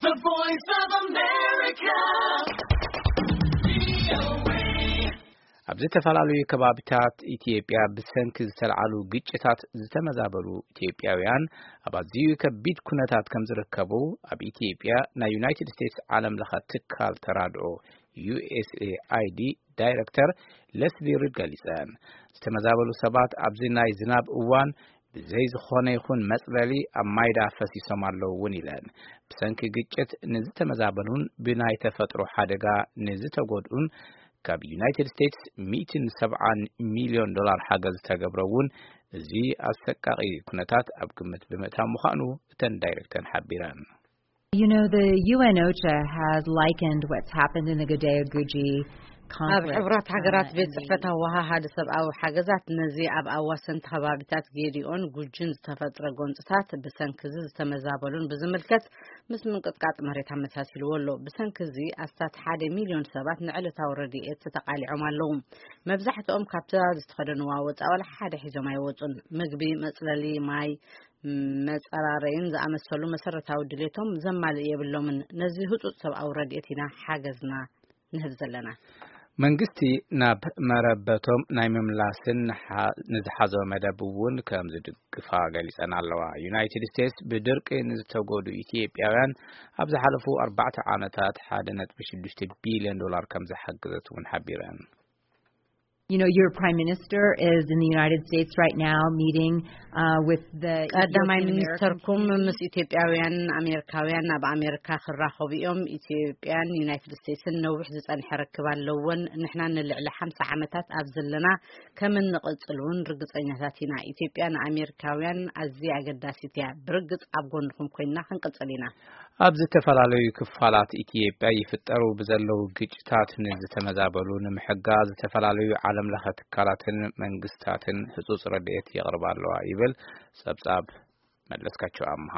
The Voice of America. ኣብ ዝተፈላለዩ ከባቢታት ኢትዮጵያ ብሰንኪ ዝተልዓሉ ግጭታት ዝተመዛበሉ ኢትዮጵያውያን ኣብ ኣዝዩ ከቢድ ኩነታት ከም ዝርከቡ ኣብ ኢትዮጵያ ናይ ዩናይትድ ስቴትስ ዓለም ለኸ ትካል ተራድኦ ዩ ኤስ ኤ ኣይ ዲ ዳይሬክተር ለስሊ ሪድ ገሊጸን። ዝተመዛበሉ ሰባት ኣብዚ ናይ ዝናብ እዋን ብዘይ ዝኾነ ይኹን መጽለሊ ኣብ ማይዳ ፈሲሶም ኣለዉ እውን ኢለን። ብሰንኪ ግጭት ንዝተመዛበሉን ብናይ ተፈጥሮ ሓደጋ ንዝተጎድኡን ካብ ዩናይትድ ስቴትስ ሚእትን ሰብዓን ሚልዮን ዶላር ሓገዝ ዝተገብረ እውን እዚ ኣሰቃቒ ኩነታት ኣብ ግምት ብምእታው ምዃኑ እተን ዳይሬክተር ሓቢረን። You know, the U N OCHA has likened what's happened in the Gadeo Guji ኣብ conflict. ሕብራት ሃገራት uh, ቤት and ጽሕፈት ህወሓሃድ ሰብኣዊ ሓገዛት ነዚ ኣብ ኣዋሰንቲ ከባቢታት ጌዲኦን ጉጅን ዝተፈጥረ ጎንፅታት ብሰንኪ እዚ ዝተመዛበሉን ብዝምልከት ምስ ምንቅጥቃጥ መሬት ኣመሳሲልዎ ኣሎ። ብሰንኪ እዚ ኣስታት ሓደ ሚልዮን ሰባት ንዕለታዊ ረድኤት ተቃሊዖም ኣለዉ። መብዛሕትኦም ካብታ ዝተኸደንዋ ወፃኢ ዋላ ሓደ ሒዞም ኣይወፁን። ምግቢ፣ መፅለሊ፣ ማይ፣ መፀራረይን ዝኣመሰሉ መሰረታዊ ድሌቶም ዘማልእ የብሎምን። ነዚ ህፁፅ ሰብኣዊ ረድኤት ኢና ሓገዝና ንህብ ዘለና። መንግስቲ ናብ መረበቶም ናይ ምምላስን ንሓ- ንዝሓዞ መደብ እውን ከም ዝድግፋ ገሊጸን ኣለዋ። ዩናይትድ ስቴትስ ብድርቂ ንዝተጎዱ ኢትዮጵያውያን ኣብ ዝሓለፉ ኣርባዕተ ዓመታት ሓደ ነጥቢ ሽዱሽተ ቢልዮን ዶላር ከም ዝሓገዘት እውን ሓቢረን። You know, your prime minister is in the United States right now meeting uh, with the ቀዳማይ Ethiopian ሚኒስተርኩም American ምስ ኢትዮጵያውያን ኣሜሪካውያን ኣብ ኣሜሪካ ክራኸቡ እዮም። ኢትዮጵያን ዩናይትድ ስቴትስን ነዊሕ ዝጸንሐ ርክብ ኣለወን። ንሕና ንልዕሊ ሓምሳ ዓመታት ኣብ ዘለና ከም እንቕጽል እውን ርግጸኛታት ኢና። ኢትዮጵያ ንኣሜሪካውያን ኣዝያ ኣገዳሲት እያ። ብርግጽ ኣብ ጎንኹም ኮይንና ክንቅጽል ኢና። ኣብ ዝተፈላለዩ ክፋላት ኢትዮጵያ ይፍጠሩ ብዘለዉ ግጭታት ንዝተመዛበሉ ንምሕጋዝ ዝተፈላለዩ ዓለም ለኸ ትካላትን መንግስታትን ህጹጽ ረድኤት የቕርባ ኣለዋ ይብል ጸብጻብ መለስካቸው ኣምሃ።